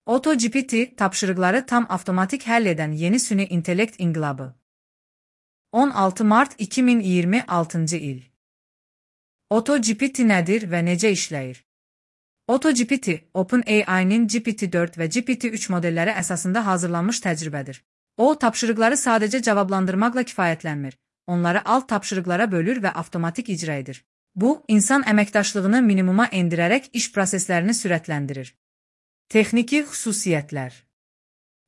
AutoGPT tapşırıqları tam avtomatik həll edən yeni süni intellekt inqilabı. 16 Mart 2026 il. AutoGPT nədir və necə işləyir? AutoGPT, OpenAI-nin GPT-4 və GPT-3 modelləri əsasında hazırlanmış təcrübədir. O, tapşırıqları sadəcə cavablandırmaqla kifayətlənmir, onları alt tapşırıqlara bölür və avtomatik icra edir. Bu, insan əməkdaşlığını minimuma endirərək iş proseslərini sürətləndirir. Texniki xüsusiyyətlər.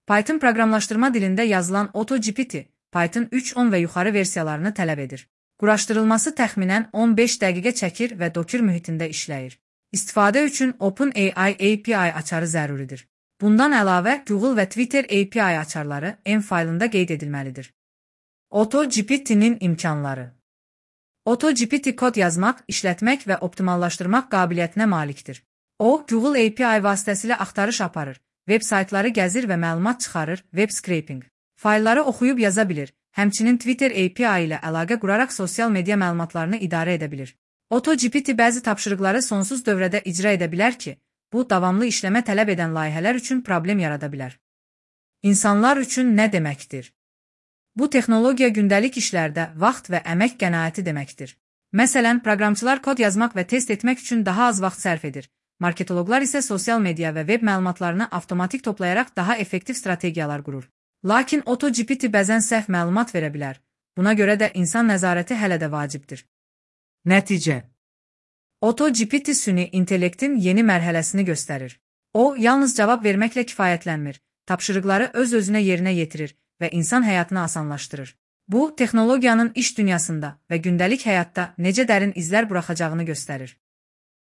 Python proqramlaşdırma dilində yazılan AutoGPT, Python 3.10 və yuxarı versiyalarını tələb edir. Quraşdırılması təxminən 15 dəqiqə çəkir və Docker mühitində işləyir. İstifadə üçün OpenAI API açarı zəruridir. Bundan əlavə, Google və Twitter API açarları M faylında qeyd edilməlidir. AutoGPT-nin imkanları. AutoGPT kod yazmaq, işlətmək və optimallaşdırmaq qabiliyyətinə malikdir. O, Google API vasitəsilə axtarış aparır, web saytları gəzir və məlumat çıxarır, web scraping. Faylları oxuyub yaza bilir, həmçinin Twitter API ilə əlaqə quraraq sosial media məlumatlarını idarə edə bilir. AutoGPT bəzi tapşırıqları sonsuz dövrədə icra edə bilər ki, bu, davamlı işləmə tələb edən layihələr üçün problem yarada bilər. İnsanlar üçün nə deməkdir? Bu texnologiya gündəlik işlərdə vaxt və əmək qənaəti deməkdir. Məsələn, proqramçılar kod yazmaq və test etmək üçün daha az vaxt sərf edir. Marketoloqlar isə sosial media və web məlumatlarını avtomatik toplayaraq daha effektiv strategiyalar qurur. Lakin AutoGPT bəzən səhv məlumat verə bilər. Buna görə də insan nəzarəti hələ də vacibdir. Nəticə. AutoGPT süni intellektin yeni mərhələsini göstərir. O, yalnız cavab verməklə kifayətlənmir, tapşırıqları öz-özünə yerinə yetirir və insan həyatını asanlaşdırır. Bu, texnologiyanın iş dünyasında və gündəlik həyatda necə dərin izlər buraxacağını göstərir.